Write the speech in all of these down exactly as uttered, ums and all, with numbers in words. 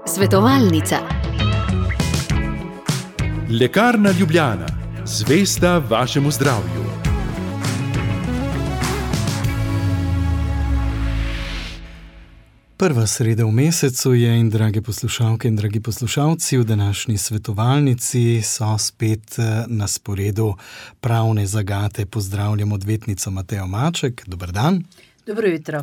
Svetovalnica. Lekarna Ljubljana, zvesta vašemu zdravju. Prva sreda v mesecu je in drage poslušalke in dragi poslušalci, v današnji svetovalnici so spet na sporedu pravne zagate. Pozdravljam odvetnico Matejo Maček. Dober dan. Dobro jutro.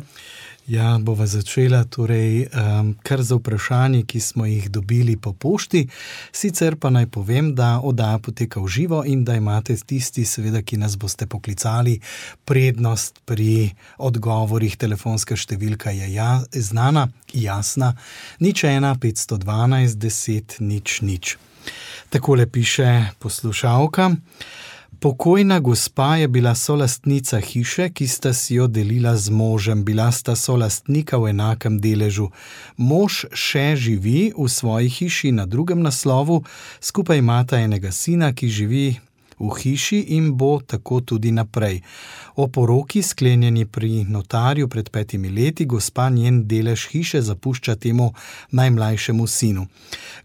Ja, bova začela torej um, kar za vprašanje, ki smo jih dobili po pošti. Sicer pa naj povem, da oddaja poteka v živo in da imate tisti, seveda, ki nas boste poklicali, prednost pri odgovorih. Telefonska številka je ja, znana, jasna, nič ena, petsto dvanajst, deset, nič, nič. Takole piše poslušalka. Pokojna gospa je bila solastnica hiše, ki sta si jo delila z možem. Bila sta solastnika v enakem deležu. Mož še živi v svoji hiši na drugem naslovu, skupaj imata enega sina, ki živi v hiši in bo tako tudi naprej. O poroki, sklenjeni pri notarju pred petimi leti, gospa njen delež hiše zapušča temu najmlajšemu sinu.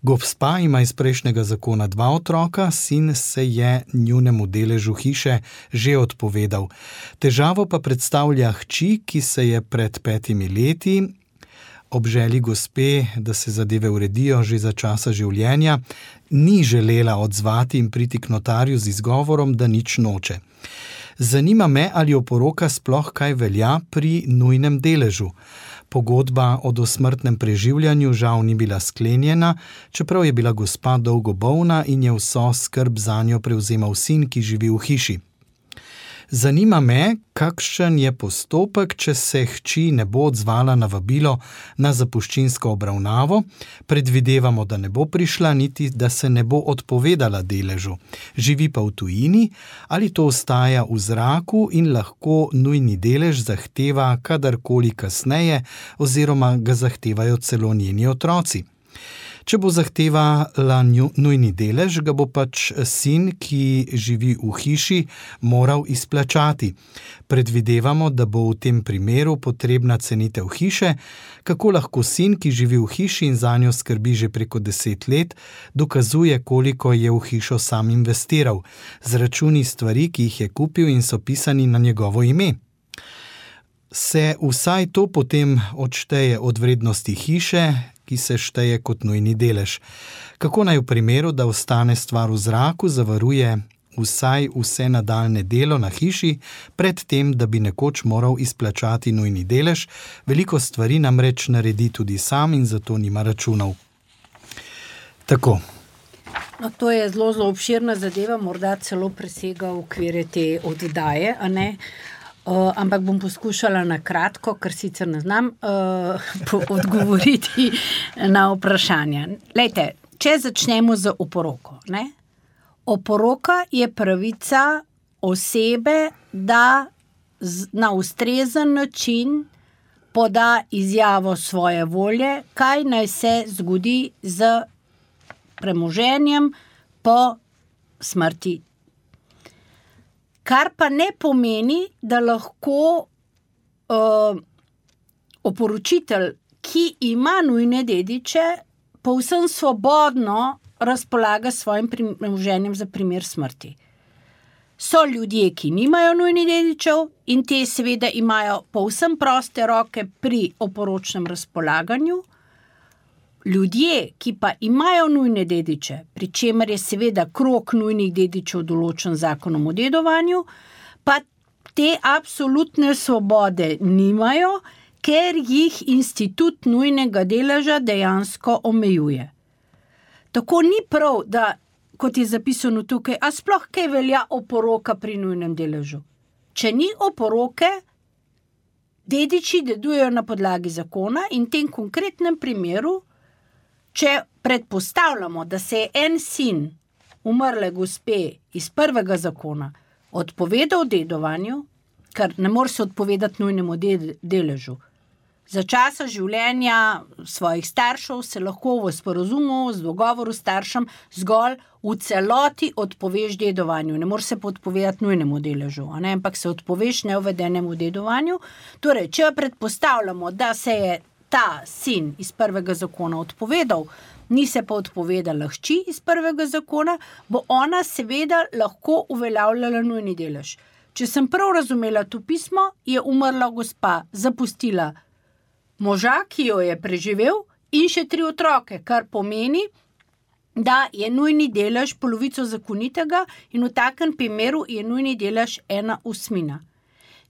Gospa ima iz prejšnjega zakona dva otroka, sin se je njunemu deležu hiše že odpovedal. Težavo pa predstavlja hči, ki se je pred petimi leti ob želji gospe, da se zadeve uredijo že za časa življenja, ni želela odzvati in priti k notarju z izgovorom, da nič noče. Zanima me, ali oporoka sploh kaj velja pri nujnem deležu. Pogodba o dosmrtnem preživljanju žal ni bila sklenjena, čeprav je bila gospa dolgo bolna in je vso skrb zanjo prevzemal sin, ki živi v hiši. Zanima me, kakšen je postopek, če se hči ne bo odzvala na vabilo na zapuščinsko obravnavo. Predvidevamo, da ne bo prišla, niti da se ne bo odpovedala deležu. Živi pa v tujini, ali to ostaja v zraku in lahko nujni delež zahteva kadarkoli kasneje oziroma ga zahtevajo celo njeni otroci. Če bo zahtevala nujni delež, ga bo pač sin, ki živi v hiši, moral izplačati. Predvidevamo, da bo v tem primeru potrebna cenitev hiše, kako lahko sin, ki živi v hiši in zanjo skrbi že preko deset let, dokazuje, koliko je v hišo sam investiral. Zračuni stvari, ki jih je kupil in so pisani na njegovo ime. Se vsaj to potem odšteje od vrednosti hiše, ki se šteje kot nujni delež. Kako naj v primeru, da ostane stvar v zraku, zavaruje vsaj vse nadaljne delo na hiši, pred tem, da bi nekoč moral izplačati nujni delež? Veliko stvari namreč naredi tudi sam in zato nima računov. Tako. No, to je zelo, zelo obširna zadeva, morda celo presega okvire te oddaje, a ne? Uh, ampak bom poskušala na kratko, ker sicer ne znam uh, odgovoriti na vprašanja. Lejte, če začnemo z oporoko. Ne? Oporoka je pravica osebe, da z, na ustrezen način poda izjavo svoje volje, kaj naj se zgodi z premoženjem po smrti. Kar pa ne pomeni, da lahko uh, oporočitelj, ki ima nujne dediče, povsem svobodno razpolaga svojim premoženjem za primer smrti. So ljudje, ki nimajo nujnih dedičev in te seveda imajo povsem proste roke pri oporočnem razpolaganju. Ljudje, ki pa imajo nujne dediče, pri čemer je seveda krog nujnih dedičev določen zakonom o dedovanju, pa te absolutne svobode nimajo, ker jih institut nujnega deleža dejansko omejuje. Tako ni prav, da, kot je zapisano tukaj, a sploh kaj velja oporoka pri nujnem deležu. Če ni oporoke, dediči dedujejo na podlagi zakona in v tem konkretnem primeru, če predpostavljamo, da se je en sin umrle gospe iz prvega zakona odpovedal dedovanju, ker ne more se odpovedati nujnemu deležu, za časa življenja svojih staršev se lahko v sporazumu, z dogovoru s staršem zgolj v celoti odpoveš dedovanju. Ne moreš se pa odpovedati nujnemu deležu, a ne? Ampak se odpoveš neuvedenemu dedovanju. Torej, če predpostavljamo, da se je ta sin iz prvega zakona odpovedal, ni se pa odpovedala hči iz prvega zakona, bo ona seveda lahko uveljavljala nujni delež. Če sem prav razumela to pismo, je umrla gospa, zapustila moža, ki jo je preživel, in še tri otroke, kar pomeni, da je nujni delež polovico zakonitega in v takem primeru je nujni delež ena osmina.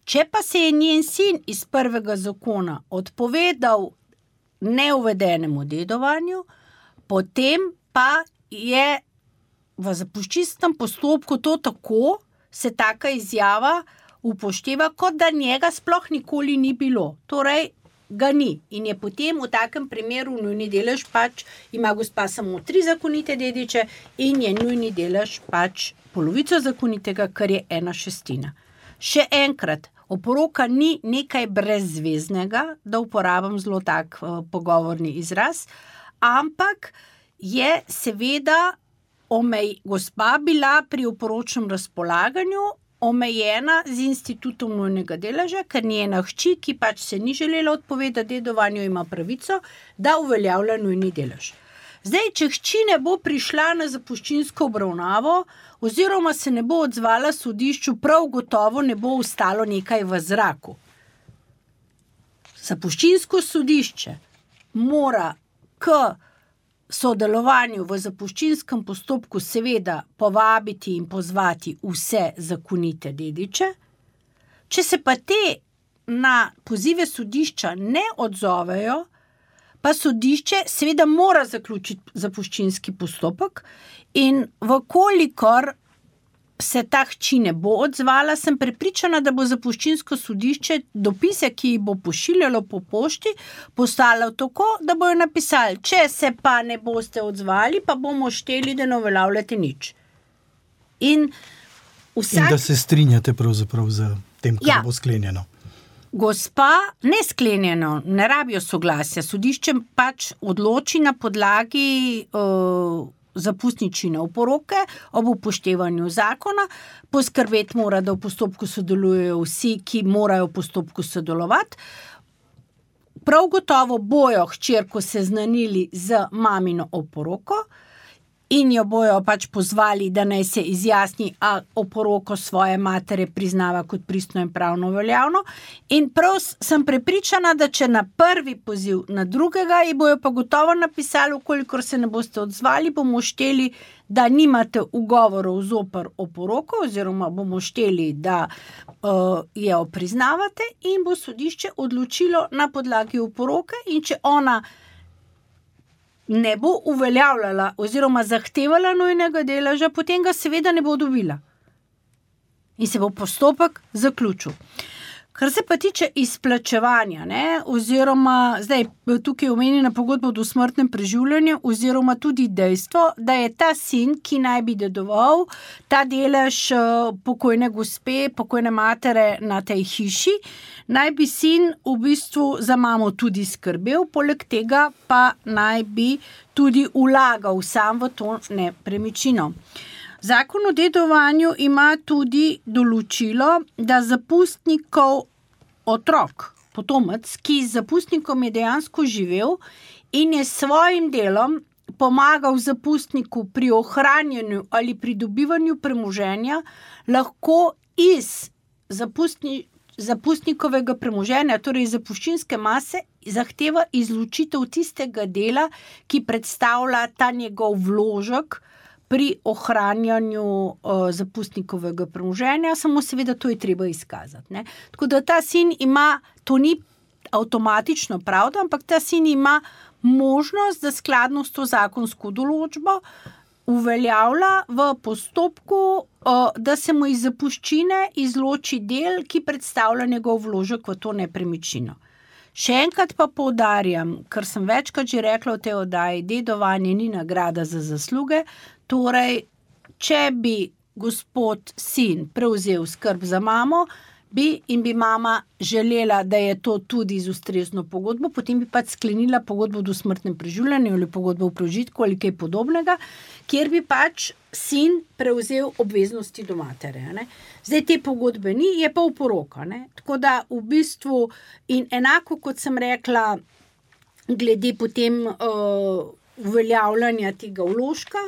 Če pa se je njen sin iz prvega zakona odpovedal neuvedenemu dedovanju, potem pa je v zapuščinskem postopku to tako, se taka izjava upošteva, kot da njega sploh nikoli ni bilo. Torej, ga ni. In je potem v takem primeru nujni delež pač, ima gospa samo tri zakonite dediče in je nujni delež pač polovico zakonitega, kar je ena šestina. Še enkrat, oporoka ni nekaj brezveznega, da uporabim zelo tak uh, pogovorni izraz, ampak je seveda omej, gospa bila pri oporočnem razpolaganju omejena z institutom nujnega deleža, ker njena hči, ki pač se ni želela odpovedati dedovanju, ima pravico, da uveljavlja nujni delež. Zdaj, če hči ne bo prišla na zapuščinsko obravnavo oziroma se ne bo odzvala sodišču, prav gotovo ne bo ostalo nekaj v zraku. Zapuščinsko sodišče mora k sodelovanju v zapuščinskem postopku seveda povabiti in pozvati vse zakonite dediče. Če se pa te na pozive sodišča ne odzovejo, pa sodišče seveda mora zaključiti zapuščinski postopek in vkolikor se ta hči ne bo odzvala, sem prepričana, da bo zapuščinsko sodišče dopise, ki jih bo pošiljalo po pošti, poslalo tako, da bojo napisali, če se pa ne boste odzvali, pa bomo šteli, da ne uveljavljate nič. In, vsak... In da se strinjate pravzaprav z tem, kar ja. bo sklenjeno. Gospa, ne sklenjeno, ne rabijo soglasja. Sodišče pač odloči na podlagi uh, zapustničine oporoke ob upoštevanju zakona. Poskrbeti mora, da v postopku sodelujejo vsi, ki morajo v postopku sodelovati. Prav gotovo bojo hčerko seznanili z mamino oporoko in jo bojo pač pozvali, da naj se izjasni, a oporoko svoje matere priznava kot pristno in pravno veljavno. In prav sem prepričana, da če na prvi poziv, na drugega, ji bojo pa gotovo napisali, ukolikor se ne boste odzvali, bomo šteli, da nimate ugovorov zoper oporoko, oziroma bomo šteli, da uh, jo priznavate in bo sodišče odločilo na podlagi oporoke in če ona ne bo uveljavljala oziroma zahtevala nujnega deleža, potem ga seveda ne bo dobila. In se bo postopek zaključil. Kar se pa tiče izplačevanja, ne, oziroma zdaj tukaj omenjena pogodba o dosmrtnem preživljanju, oziroma tudi dejstvo, da je ta sin, ki naj bi dedoval, ta delež pokojne gospe, pokojne matere na tej hiši, naj bi sin v bistvu za mamo tudi skrbel, poleg tega pa naj bi tudi vlagal sam v to nepremičnino. Zakon o dedovanju ima tudi določilo, da zapustnikov otrok, potomec, ki z zapustnikom je dejansko živel in je svojim delom pomagal zapustniku pri ohranjanju ali pridobivanju premoženja, lahko iz zapustni, zapustnikovega premoženja, torej zapuščinske mase, zahteva izločitev tistega dela, ki predstavlja ta njegov vložek pri ohranjanju uh, zapustnikovega premoženja, samo seveda to je treba izkazati. Ne? Tako da ta sin ima, to ni avtomatično pravda, ampak ta sin ima možnost, da skladno s to zakonsko določbo uveljavlja v postopku, uh, da se mu iz zapuščine izloči del, ki predstavlja njegov vložek v to nepremičnino. Še enkrat pa poudarjam, ker sem večkrat že rekla v tej oddaji, dedovanje ni nagrada za zasluge, torej, če bi gospod sin prevzel skrb za mamo, bi in bi mama želela, da je to tudi z ustrezno pogodbo, potem bi pač sklenila pogodbo o dosmrtnem preživljanju ali pogodbo o prežitku ali kaj podobnega, kjer bi pač sin prevzel obveznosti do matere. Ne? Zdaj te pogodbe ni, je pa oporoka. Ne? Tako da v bistvu, in enako kot sem rekla, glede potem uh, uveljavljanja tega vložka,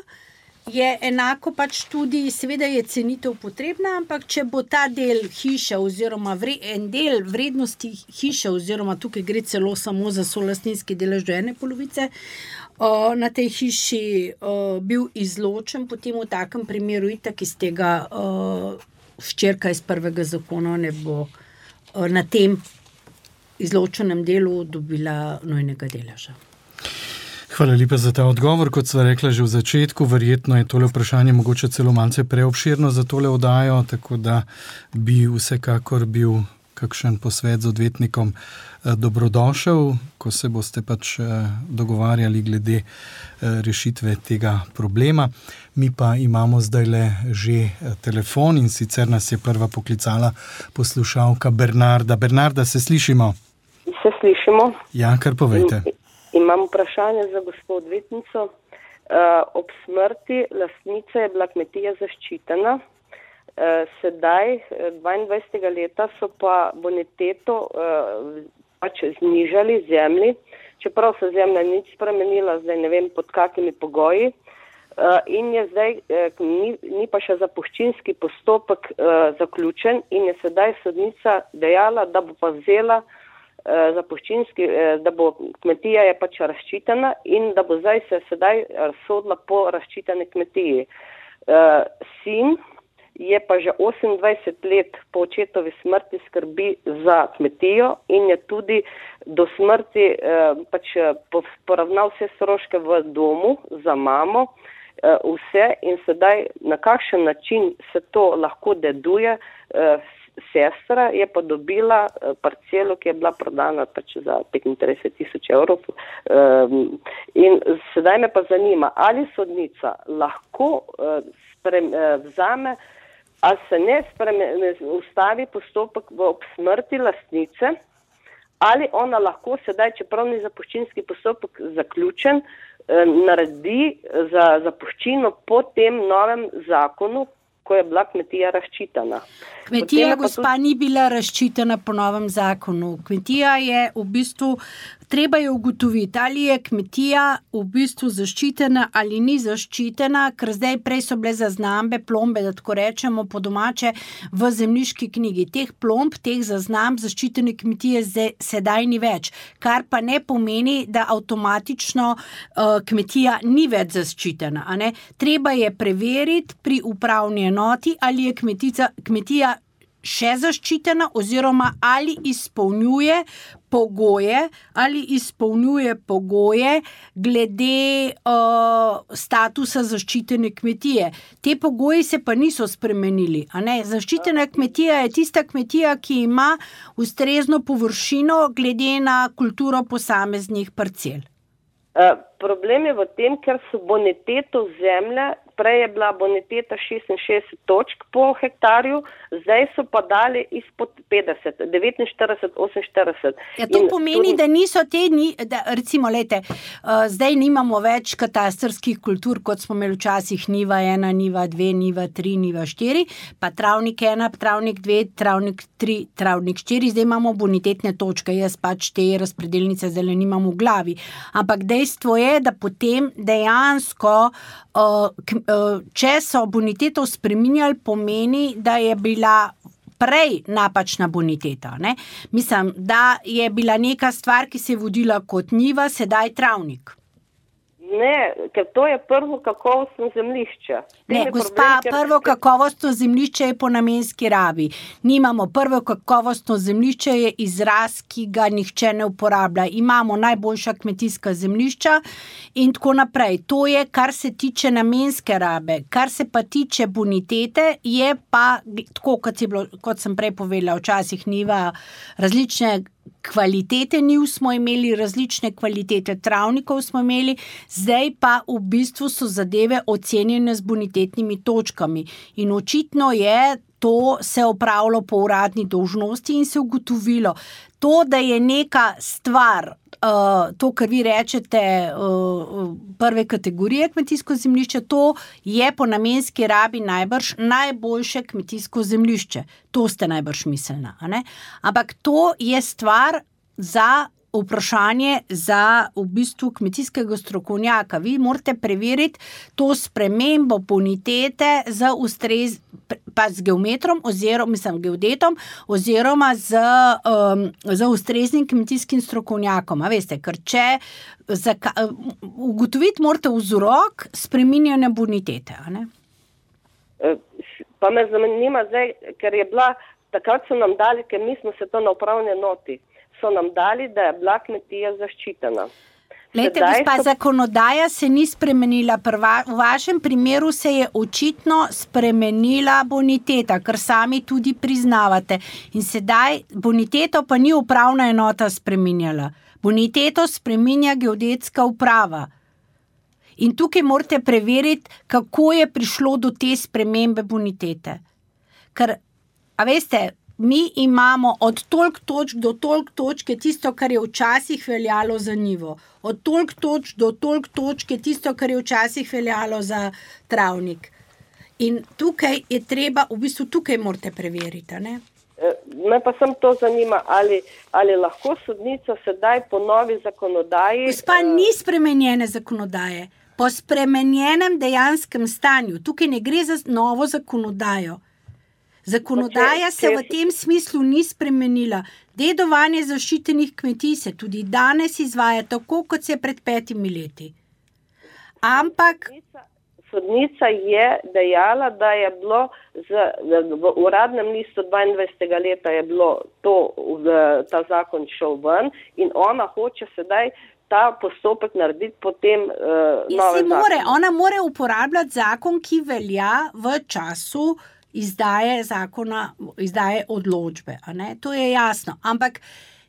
je enako pač tudi, seveda je cenitev potrebna, ampak če bo ta del hiše oziroma vre, en del vrednosti hiše oziroma tukaj gre celo samo za solastninski delež do ene polovice, uh, na tej hiši uh, bil izločen, potem v takem primeru itak iz tega uh, hčerka iz prvega zakona ne bo uh, na tem izločenem delu dobila nujnega deleža. Hvala lepa za ta odgovor. Kot sva rekla že v začetku, verjetno je tole vprašanje mogoče celo malce preobširno za tole oddajo, tako da bi vsekakor bil kakšen posvet z odvetnikom dobrodošel, ko se boste pač dogovarjali glede rešitve tega problema. Mi pa imamo zdajle že telefon in sicer nas je prva poklicala poslušalka Bernarda. Bernarda, se slišimo? Se slišimo. Ja, kar povejte. Imam vprašanje za gospod odvetnico. Uh, ob smrti lastnice je bila kmetija zaščitena. Uh, sedaj, dvaindvajsetega leta, so pa boniteto uh, pač znižali zemlji, čeprav se zemlja nič spremenila, zdaj ne vem pod kakimi pogoji. Uh, in je zdaj, uh, ni, ni pa še zapuščinski postopek uh, zaključen in je sedaj sodnica dejala, da bo pa vzela zapuščinski, da bo kmetija je pač razščitena in da bo zdaj se sedaj sodila po razščiteni kmetiji. Sin je pa že osemindvajset let po očetovi smrti skrbi za kmetijo in je tudi do smrti pač poravnal vse stroške v domu za mamo, vse in sedaj na kakšen način se to lahko deduje. Sestra je pa dobila parcelo, ki je bila prodana pač za petintrideset tisoč evrov. In sedaj me pa zanima, ali sodnica lahko sprem, vzame, ali se ne, sprem, ne ustavi postopek v ob smrti lastnice, ali ona lahko sedaj, čeprav ni zapuščinski postopek zaključen, naredi za zapuščino po tem novem zakonu, ko je bila kmetija razčitana. Kmetija, gospa, ni bila razčitana po novem zakonu. Kmetija je v bistvu, treba je ugotoviti, ali je kmetija v bistvu zaščitena ali ni zaščitena, ker zdaj prej so bile zaznambe, plombe, da tako rečemo po domače, v zemljiški knjigi. Teh plomb, teh zaznamb zaščitene kmetije zdaj, sedaj ni več, kar pa ne pomeni, da avtomatično uh, kmetija ni več zaščitena. A ne? Treba je preveriti pri upravni enoti, ali je kmetica, kmetija še zaščitena oziroma ali izpolnjuje pogoje, ali izpolnjuje pogoje glede uh, statusa zaščitene kmetije. Te pogoji se pa niso spremenili. A ne? Zaščitena kmetija je tista kmetija, ki ima ustrezno površino glede na kulturo posameznih parcel. Uh, problem je v tem, ker so boniteto zemlje, prej je bila boniteta šestinšestdeset točk po hektarju, zdaj so pa dali izpod petdeset, devetinštirideset, oseminštirideset. Ja, to in pomeni, tudi... da niso te, ni, da, recimo, lejte, uh, zdaj nimamo več katastrskih kultur, kot smo imeli včasih niva ena, niva dve, niva tri, niva štiri, pa travnik ena, travnik dve, travnik tri, travnik štiri, zdaj imamo bonitetne točke, jaz pač te razpredelnice zdaj nimam v glavi. Ampak dejstvo je, da potem dejansko uh, če so boniteto spreminjali, pomeni, da je bila prej napačna boniteta. Ne? Mislim, da je bila neka stvar, ki se je vodila kot njiva, sedaj travnik. Ne, ker to je prvo kakovostno zemljišče. Ne, gospa, problem, prvo kakovostno zemljišče je po namenski rabi. Nimamo prvo kakovostno zemljišče, je izraz, ki ga nihče ne uporablja. Imamo najboljša kmetijska zemljišča in tako naprej. To je, kar se tiče namenske rabe. Kar se pa tiče bonitete, je pa, tako kot, je bilo, kot sem prej povedala, včasih niva različne kvalitete njiv smo imeli, različne kvalitete travnikov smo imeli, zdaj pa v bistvu so zadeve ocenjene z bonitetnimi točkami. In očitno je to se opravilo po uradni dolžnosti in se ugotovilo. To, da je neka stvar, uh, to, kar vi rečete, uh, prve kategorije kmetijsko zemljišče, to je po namenski rabi najbrž najboljše kmetijsko zemljišče. To ste najbrž mislili, a ne? Ampak to je stvar za vprašanje za v bistvu kmetijskega strokovnjaka. Vi morate preveriti to spremembo bonitete z ustrez, pa z geometrom oziroma, mislim, geodetom oziroma z, um, z ustreznim kmetijskim strokovnjakom. A veste, ker če zaka, ugotoviti morate vzrok spreminjanja bonitete, a ne? Pa me zanima zdaj, ker je bila, takrat so nam dali, ker mi smo se to na upravni enoti, so nam dali, da je bila kmetija zaščitena. Lejte, gospa, so... zakonodaja se ni spremenila. Prva, v vašem primeru se je očitno spremenila boniteta, kar sami tudi priznavate. In sedaj boniteto pa ni upravna enota spreminjala. Boniteto spreminja geodetska uprava. In tukaj morate preveriti, kako je prišlo do te spremembe bonitete. Ker, a veste, mi imamo od toliko točk do toliko točk je tisto, kar je včasih veljalo za njivo. Od toliko točk do toliko točk je tisto, kar je včasih veljalo za travnik. In tukaj je treba, v bistvu tukaj morate preveriti, ne? Me pa sem to zanima, ali, ali lahko sodnica sedaj po novi zakonodaji... Gospa, ni spremenjene zakonodaje. Po spremenjenem dejanskem stanju. Tukaj ne gre za novo zakonodajo. Zakonodaja se v tem smislu ni spremenila. Dedovanje zaščitenih kmetij se tudi danes izvaja tako, kot se je pred petimi leti. Ampak... Sodnica je dejala, da je bilo z, v uradnem listu dvaindvajsetega leta je bilo to, ta zakon šel ven in ona hoče sedaj ta postopek narediti potem uh, nove more, ona more uporabljati zakon, ki velja v času izdaje zakona, izdaje odločbe. A ne? To je jasno. Ampak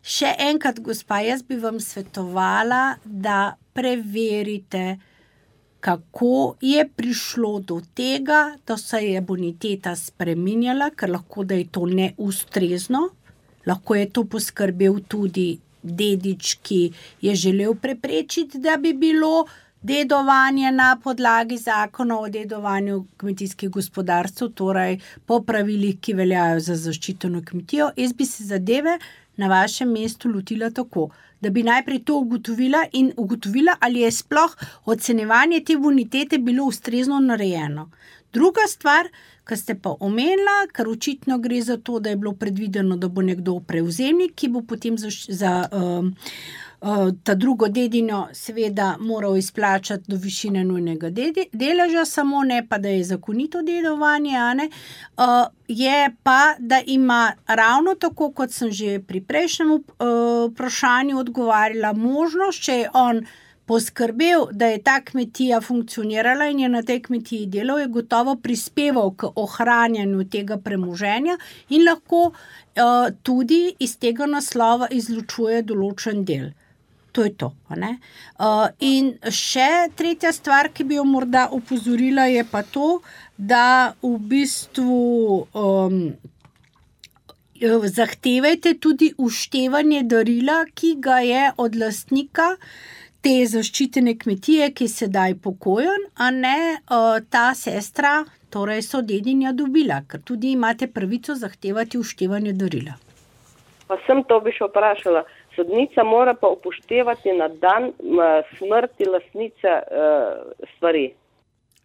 še enkrat, gospa, jaz bi vam svetovala, da preverite, kako je prišlo do tega, da se je boniteta spreminjala, ker lahko, da je to neustrezno, lahko je to poskrbel tudi dedič, ki je želel preprečiti, da bi bilo dedovanje na podlagi zakona o dedovanju kmetijskih gospodarstv, torej po pravilih, ki veljajo za zaščiteno kmetijo. Jaz bi se zadeve na vašem mestu lotila tako, da bi najprej to ugotovila in ugotovila, ali je sploh ocenjevanje te bonitete bilo ustrezno narejeno. Druga stvar, kar ste pa omenila, ker očitno gre za to, da je bilo predvideno, da bo nekdo prevzemnik, ki bo potem za, za um, uh, ta drugo dedinjo seveda moral izplačati do višine nujnega dedi, deleža, samo ne pa, da je zakonito dedovanje, a ne, uh, je pa, da ima ravno tako, kot sem že pri prejšnjem uh, vprašanju odgovarjala, možnost, če je on poskrbel, da je ta kmetija funkcionirala in je na tej kmetiji delal, je gotovo prispeval k ohranjanju tega premoženja in lahko uh, tudi iz tega naslova izločuje določen del. To je to. A ne? Uh, in še tretja stvar, ki bi jo morda opozorila, je pa to, da v bistvu um, zahtevajte tudi uštevanje darila, ki ga je od lastnika te zaščitene kmetije, ki je sedaj pokojen, a ne uh, ta sestra, torej sodedinja dobila, ker tudi imate pravico zahtevati uštevanje darila. Pa sem to bi še vprašala. Sodnica mora pa upoštevati na dan smrti lastnice uh, stvari.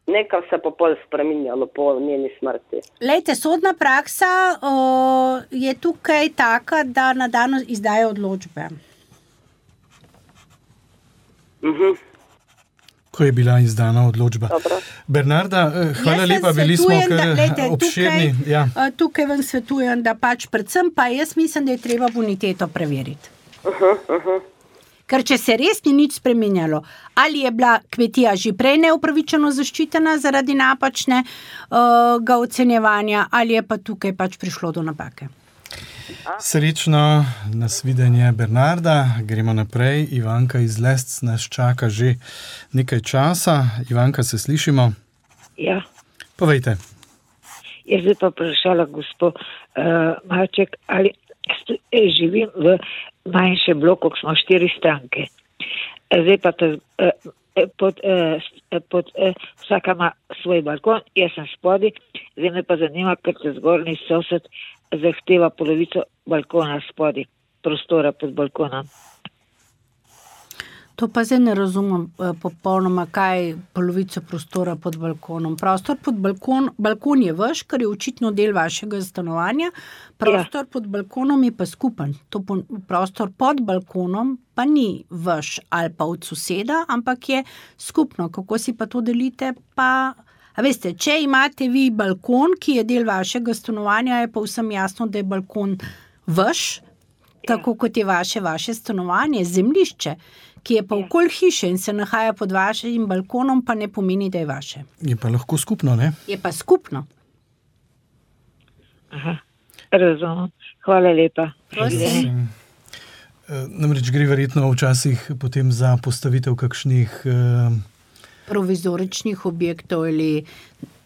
Nekaj se pa pol spreminjalo po njeni smrti. Lejte, sodna praksa uh, je tukaj taka, da na dan izdaje odločbe. Uh-huh. Ko je bila izdana odločba. Dobro. Bernarda, hvala lepa, bili smo kar da, lejte, obširni. Tukaj, ja. tukaj vam svetujem, da pač predvsem pa jaz mislim, da je treba boniteto preveriti. Uh-huh, uh-huh. Ker če se res ni nič spremenjalo, ali je bila kmetija že prej neupravičeno zaščitena zaradi napačnega uh, ocenjevanja, ali je pa tukaj pač prišlo do napake. Srečno, nasvidenje Bernarda, gremo naprej. Ivanka iz Lesc nas čaka že nekaj časa. Ivanka, se slišimo? Ja. Povejte. Jaz bi pa vprašala gospod uh, Malček, ali stu, eh, živim v manjšem bloku, ko smo štiri stranke. Zdaj pa ta, uh, pod, uh, pod, uh, vsaka ima svoj balkon, jaz sem spodi, zdaj me pa zanima, ker te zgornji sosed zahteva polovico balkona spodi, prostora pod balkonom. To pa zdaj ne razumem popolnoma, kaj polovico prostora pod balkonom. Prostor pod balkon, balkon je vaš, ker je očitno del vašega stanovanja, prostor ja. pod balkonom je pa skupen. To prostor pod balkonom pa ni vaš ali pa od soseda, ampak je skupno. Kako si pa to delite? Pa, a veste, če imate vi balkon, ki je del vašega stanovanja, je pa vsem jasno, da je balkon vaš, ja. tako kot je vaše, vaše stanovanje, zemljišče, ki je pa okoli hiše in se nahaja pod vašim balkonom, pa ne pomeni, da je vaše. Je pa lahko skupno, ne? Je pa skupno. Aha, razumem. Hvala lepa. Prosim. Namreč gre verjetno včasih potem za postavitev kakšnih eh... provizoričnih objektov ali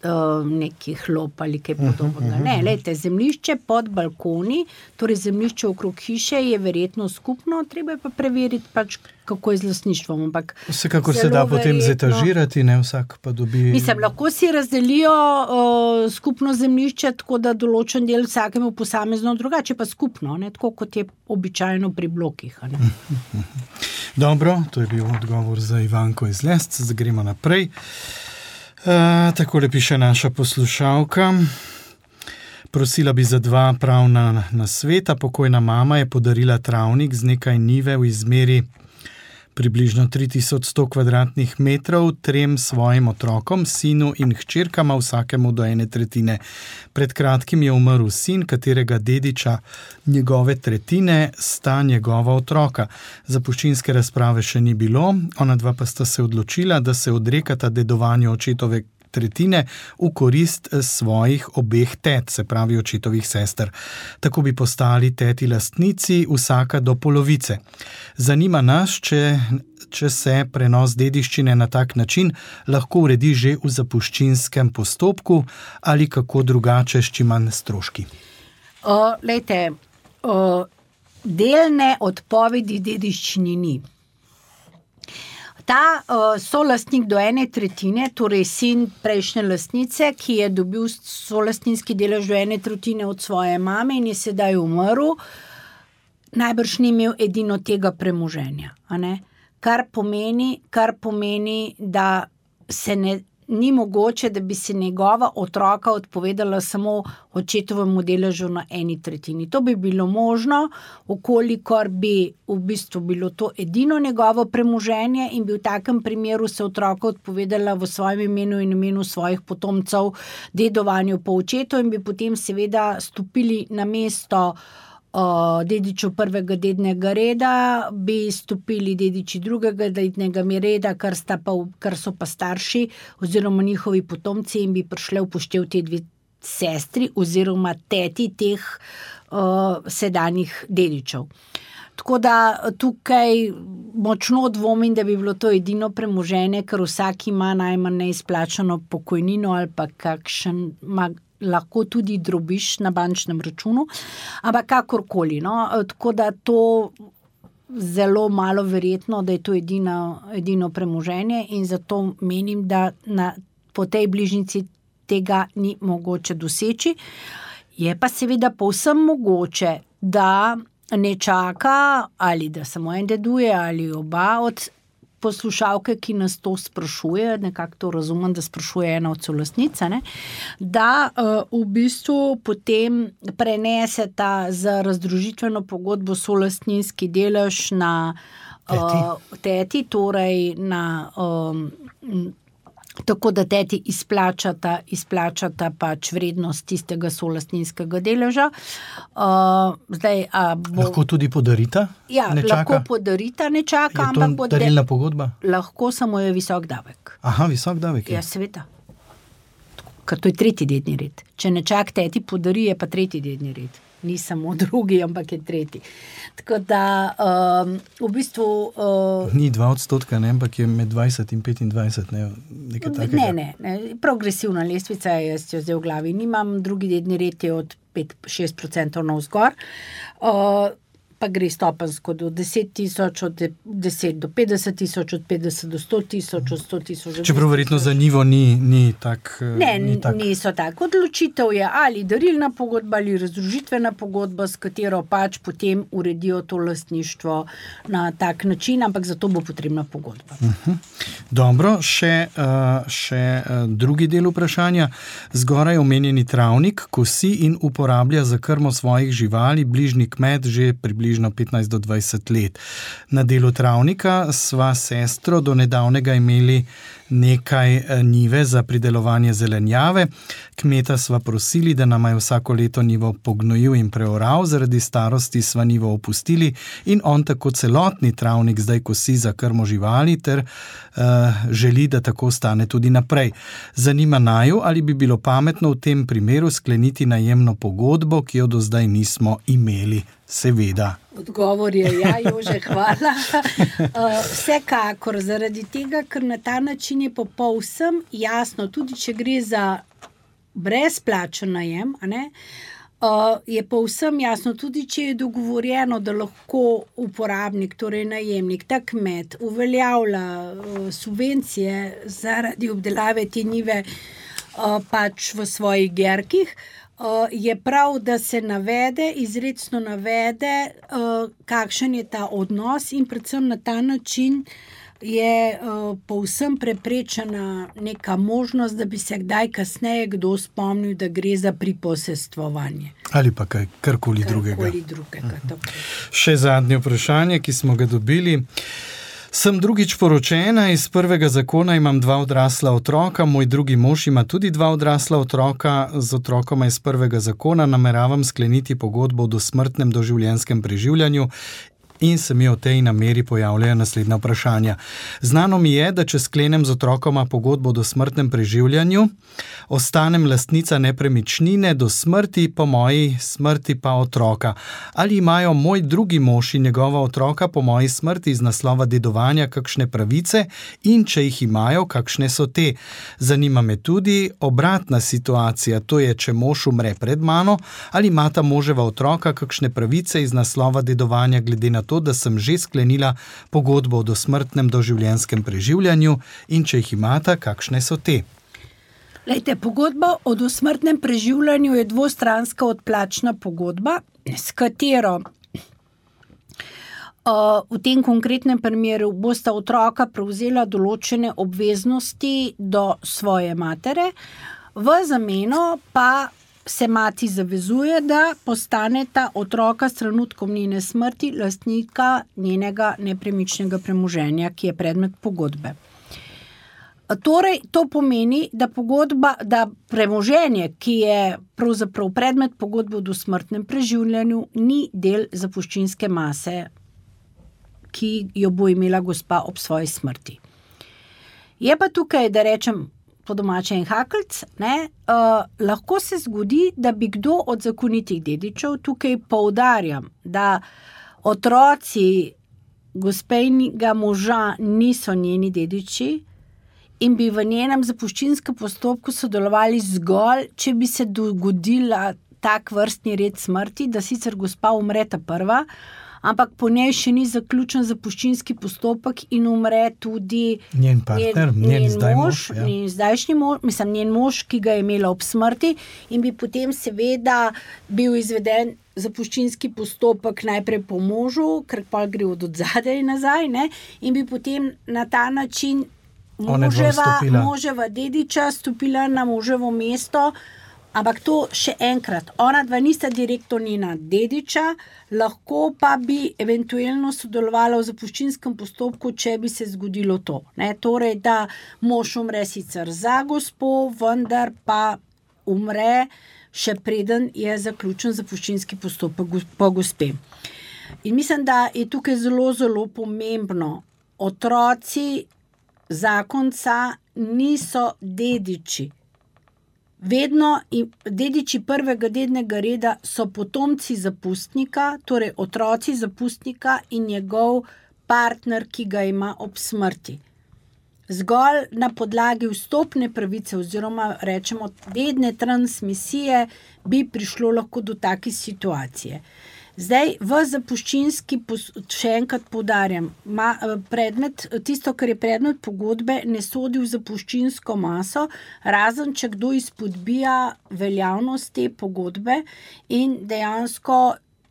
uh, nekih lop ali kaj podobnega. Ne, lejte, zemljišče pod balkoni, torej zemljišče okrog hiše je verjetno skupno, treba je pa preveriti pač, kako je z lastništvom. Ampak vsekakor se da potem verjetno zetažirati, ne vsak pa dobi... Mislim, lahko si razdelijo uh, skupno zemljišče, tako da določen del vsakemu posamezno drugače, pa skupno, ne, tako kot je običajno pri blokih. Ne? Dobro, to je bil odgovor za Ivanko iz Lesc, zdaj gremo naprej. E, takole piše naša poslušalka. Prosila bi za dva pravna nasveta. Pokojna mama je podarila travnik z nekaj njive v izmeri približno tri tisoč sto kvadratnih metrov trem svojim otrokom, sinu in hčerkama, vsakemu do ene tretjine. Pred kratkim je umrl sin, katerega dediča njegove tretjine sta njegova otroka. Zapuščinske razprave še ni bilo, ona dva pa sta se odločila, da se odrekata dedovanju očetove tretjine v korist svojih obeh tet, se pravi očetovih sester. Tako bi postali teti lastnici, vsaka do polovice. Zanima nas, če, če se prenos dediščine na tak način lahko uredi že v zapuščinskem postopku ali kako drugače, s čim manj stroški. O, lejte, o, delne odpovedi dediščini ni. Ta uh, solastnik do ene tretjine, torej sin prejšnje lastnice, ki je dobil solastninski delež do ene tretjine od svoje mame in je sedaj umrl, najbrž ni imel edino tega premoženja. A ne? Kar pomeni, kar pomeni, da se ne, ni mogoče, da bi se njegova otroka odpovedala samo očetovemu deležu na eni tretjini. To bi bilo možno, okolikor bi v bistvu bilo to edino njegovo premoženje in bi v takem primeru se otroka odpovedala v svojem imenu in imenu svojih potomcev dedovanju po očetu in bi potem seveda stopili na mesto Uh, dediču prvega dednega reda, bi stopili dediči drugega dednega reda, kar, sta pa, kar so pa starši oziroma njihovi potomci in bi prišli upoštev te dve sestri oziroma teti teh uh, sedanjih dedičev. Tako da tukaj močno dvomim, da bi bilo to edino premoženje, ker vsak ima najmanj neizplačano pokojnino ali pa kakšen mag lahko tudi drobiš na bančnem računu, ampak kakorkoli. No? Tako da to zelo malo verjetno, da je to edino, edino premoženje in zato menim, da na, po tej bližnici tega ni mogoče doseči. Je pa seveda povsem mogoče, da ne čaka ali da samo en deduje ali oba od poslušalke, ki nas to sprašuje, nekako to razumem, da sprašuje ena od solastnic, da uh, v bistvu potem preneseta za razdružitveno pogodbo solastninski delež na uh, teti. teti, torej na um, tako da teti izplačata, izplačata pač vrednost tistega solastninskega deleža. Uh, zdaj, a bo... Lahko tudi podarita? Ja, nečaka? Lahko podarita, ne čaka. Je to darilna pogodba? Lahko, samo je visok davek. Aha, visok davek je. Ja, seveda. Ker to je tretji dedni red. Če nečak teti podari, je pa tretji dedni red. Ni samo drugi, ampak je tretji. Tako da um, v bistvu... Uh, Ni dva odstotka, ne, ampak je med dvajset in petindvajset, ne, nekaj takega. Ne, ne, ne, progresivna lestvica, jaz jo zdaj v glavi nimam, drugi dedni red je od pet do šest procentov navzgor. Uh, pa gre stopensko do deset tisoč, od deset do petdeset tisoč, od petdeset do sto tisoč, od sto tisoč. Čeprav verjetno za njivo ni, ni tak. Ne, ni tak. niso tako. Odločitev je ali darilna pogodba ali razdružitvena pogodba, s katero pač potem uredijo to lastništvo na tak način, ampak za to bo potrebna pogodba. Uh-huh. Dobro, še, uh, še uh, drugi del vprašanja. Zgoraj omenjeni travnik kosi in uporablja za krmo svojih živali bližnji kmet že približno petnajst do dvajset let. Na delu travnika sva sestro do nedavnega imeli nekaj njive za pridelovanje zelenjave. Kmeta sva prosili, da nama je vsako leto njivo pognojil in preoral, zaradi starosti sva njivo opustili in on tako celotni travnik zdaj kosi za krmo živali ter uh, želi, da tako stane tudi naprej. Zanima naju, ali bi bilo pametno v tem primeru skleniti najemno pogodbo, ki jo do zdaj nismo imeli. Seveda. Odgovor je ja, Jože, hvala. Uh, vsekakor, zaradi tega, ker na ta način je povsem jasno, tudi če gre za brezplačen najem, a ne, uh, je povsem jasno, tudi če je dogovorjeno, da lahko uporabnik, torej najemnik, ta kmet, uveljavlja uh, subvencije zaradi obdelave te njive uh, pač v svojih gerkih, Uh, je prav, da se navede, izrecno navede, uh, kakšen je ta odnos in predvsem na ta način je uh, povsem preprečena neka možnost, da bi se kdaj kasneje kdo spomnil, da gre za priposestvovanje. Ali pa kaj, karkoli drugega. Karkoli drugega, tako. Še zadnje vprašanje, ki smo ga dobili. Sem drugič poročena, iz prvega zakona imam dva odrasla otroka, moj drugi mož ima tudi dva odrasla otroka, z otrokoma iz prvega zakona nameravam skleniti pogodbo o dosmrtnem doživljenjskem preživljanju in se mi o tej nameri pojavljajo naslednja vprašanja. Znano mi je, da če sklenem z otrokoma pogodbo o dosmrtnem preživljanju, ostanem lastnica nepremičnine do smrti, po moji smrti pa otroka. Ali imajo moj drugi mož in njegova otroka po moji smrti iz naslova dedovanja kakšne pravice in če jih imajo, kakšne so te? Zanima me tudi obratna situacija, to je, če mož umre pred mano, ali imata moževa otroka kakšne pravice iz naslova dedovanja glede na to, da sem že sklenila pogodbo o dosmrtnem doživljenjskem preživljanju in če jih imata, kakšne so te? Lejte, pogodba o dosmrtnem preživljanju je dvostranska odplačna pogodba, s katero uh, v tem konkretnem primeru bosta otroka prevzela določene obveznosti do svoje matere, v zameno pa se mati zavezuje, da postaneta otroka s trenutkom njene smrti lastnika njenega nepremičnega premoženja, ki je predmet pogodbe. Torej, to pomeni, da pogodba, da premoženje, ki je pravzaprav predmet pogodbe o dosmrtnem preživljanju, ni del zapuščinske mase, ki jo bo imela gospa ob svoji smrti. Je pa tukaj, da rečem, po domače en hakelc, ne, uh, lahko se zgodi, da bi kdo od zakonitih dedičev, tukaj poudarjam, da otroci gospejnega moža niso njeni dediči in bi v njenem zapuščinskem postopku sodelovali zgolj, če bi se dogodila tak vrstni red smrti, da sicer gospa umre ta prva, ampak po njej še ni zaključen zapuščinski postopek in umre tudi njen partner, njen, njen, njen zdaj mož, mož, ja. njen zdajšnji mož, mislim, njen mož, ki ga je imela ob smrti in bi potem seveda bil izveden zapuščinski postopek najprej po možu, ker pa gre od odzadaj nazaj, ne, in bi potem na ta način moževa, moževa dediča stopila na moževo mesto. Ampak to še enkrat, ona dva nista direktno njena dediča, lahko pa bi eventualno sodelovala v zapuščinskem postopku, če bi se zgodilo to. Ne? Torej, da mož umre sicer za gospo, vendar pa umre še preden je zaključen zapuščinski postopek po gospe. In mislim, da je tukaj zelo, zelo pomembno. Otroci zakonca niso dediči. Vedno dediči prvega dednega reda so potomci zapustnika, torej otroci zapustnika in njegov partner, ki ga ima ob smrti. Zgolj na podlagi vstopne pravice oziroma rečemo dedne transmisije bi prišlo lahko do take situacije. Zdaj, v zapuščinski, še enkrat poudarjam, ma, predmet, tisto, kar je predmet pogodbe, ne sodi v zapuščinsko maso, razen če kdo izpodbija veljavnost te pogodbe in dejansko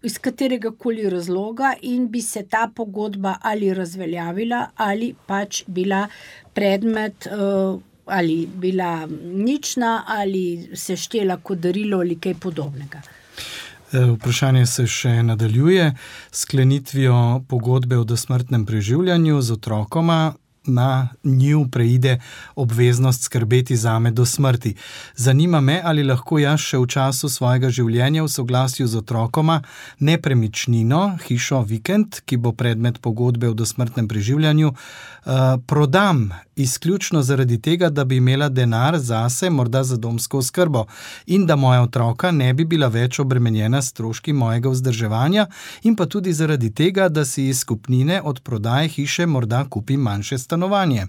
iz katerega koli razloga in bi se ta pogodba ali razveljavila ali pač bila predmet uh, ali bila nična ali se štela kot darilo ali kaj podobnega. Vprašanje se še nadaljuje. Sklenitvijo pogodbe o dosmrtnem preživljanju z otrokoma na njiju preide obveznost skrbeti zame do smrti. Zanima me, ali lahko jaz še v času svojega življenja v soglasju z otrokoma nepremičnino, hišo, vikend, ki bo predmet pogodbe o dosmrtnem preživljanju, uh, prodam izključno zaradi tega, da bi imela denar zase, morda za domsko oskrbo in da moja otroka ne bi bila več obremenjena s stroški mojega vzdrževanja in pa tudi zaradi tega, da si iz skupnine od prodaje hiše morda kupim manjše stanovanje. Stanovanje.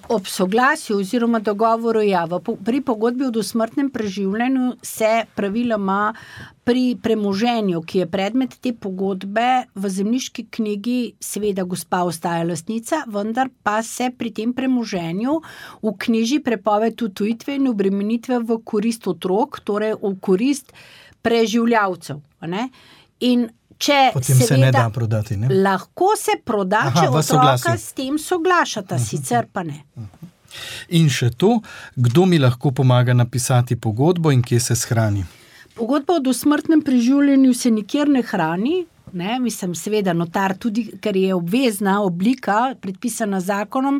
Ob soglasju oziroma dogovoru, ja, pri pogodbi o dosmrtnem preživljanju se praviloma pri premoženju, ki je predmet te pogodbe, v zemljiški knjigi seveda gospa ostaja lastnica, vendar pa se pri tem premoženju vknjiži prepoved odtujitve in obremenitve v korist otrok, torej v korist preživljavcev. Ne? In Če Potem seveda, se ne da prodati, ne? Lahko se proda, Aha, če otroka soglasju. s tem soglašata, uh-huh. sicer pa ne. Uh-huh. In še to, kdo mi lahko pomaga napisati pogodbo in kje se shrani? Pogodba o dosmrtnem preživljanju se nikjer ne hrani, ne? Mislim, seveda notar tudi, ker je obvezna oblika, predpisana zakonom,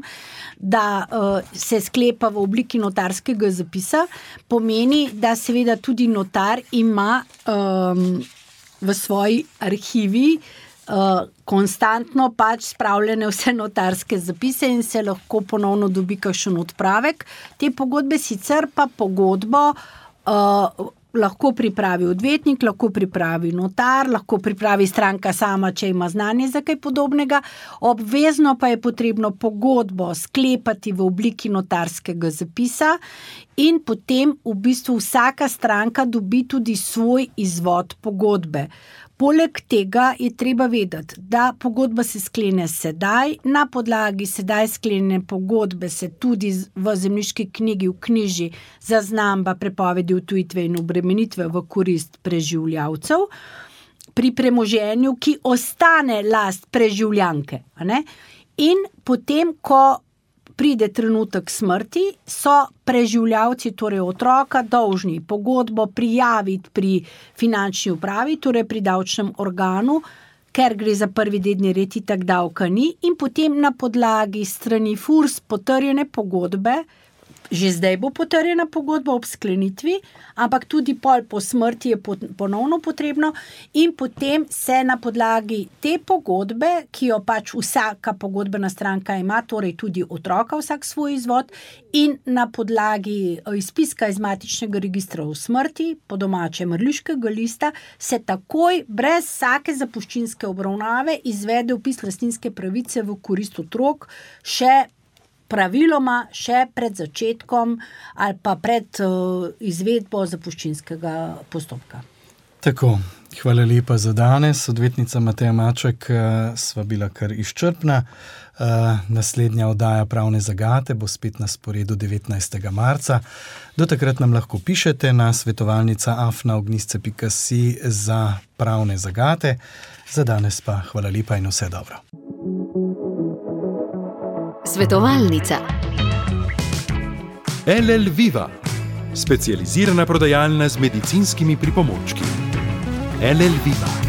da uh, se sklepa v obliki notarskega zapisa, pomeni, da seveda tudi notar ima um, v svoji arhivi uh, konstantno pač spravljene vse notarske zapise in se lahko ponovno dobi kakšen odpravek. Te pogodbe sicer pa pogodbo uh, lahko pripravi odvetnik, lahko pripravi notar, lahko pripravi stranka sama, če ima znanje za kaj podobnega. Obvezno pa je potrebno pogodbo sklepati v obliki notarskega zapisa in potem v bistvu vsaka stranka dobi tudi svoj izvod pogodbe. Poleg tega je treba vedeti, da pogodba se sklene sedaj, na podlagi sedaj sklenjene pogodbe se tudi v zemljiški knjigi vknjiži zaznamba prepovedi odtujitve in obremenitve v korist preživljavcev pri premoženju, ki ostane last preživljanke. A ne? In potem, ko pride trenutek smrti, so preživljavci, torej otroka, dolžni pogodbo prijaviti pri finančni upravi, torej pri davčnem organu, ker gre za prvi dedni red, itak davka ni, in potem na podlagi strani FURS potrjene pogodbe, že zdaj bo potrjena pogodba ob sklenitvi, ampak tudi pol po smrti je ponovno potrebno in potem se na podlagi te pogodbe, ki jo pač vsaka pogodbena stranka ima, torej tudi otroka vsak svoj izvod in na podlagi izpiska iz matičnega registra o smrti, po domače mrliškega lista, se takoj brez vsake zapuščinske obravnave izvede vpis lastninske pravice v korist otrok, še praviloma še pred začetkom ali pa pred uh, izvedbo zapuščinskega postopka. Tako, hvala lepa za danes. Odvetnica Mateja Maček, uh, sva bila kar izčrpna. Uh, naslednja oddaja Pravne zagate bo spet na sporedu devetnajstega marca. Do takrat nam lahko pišete na svetovalnica afna ognjišče pika si za pravne zagate. Za danes pa hvala lepa in vse dobro. Svetovalnica. L L Viva, specializirana prodajalna z medicinskimi pripomočki. L L Viva.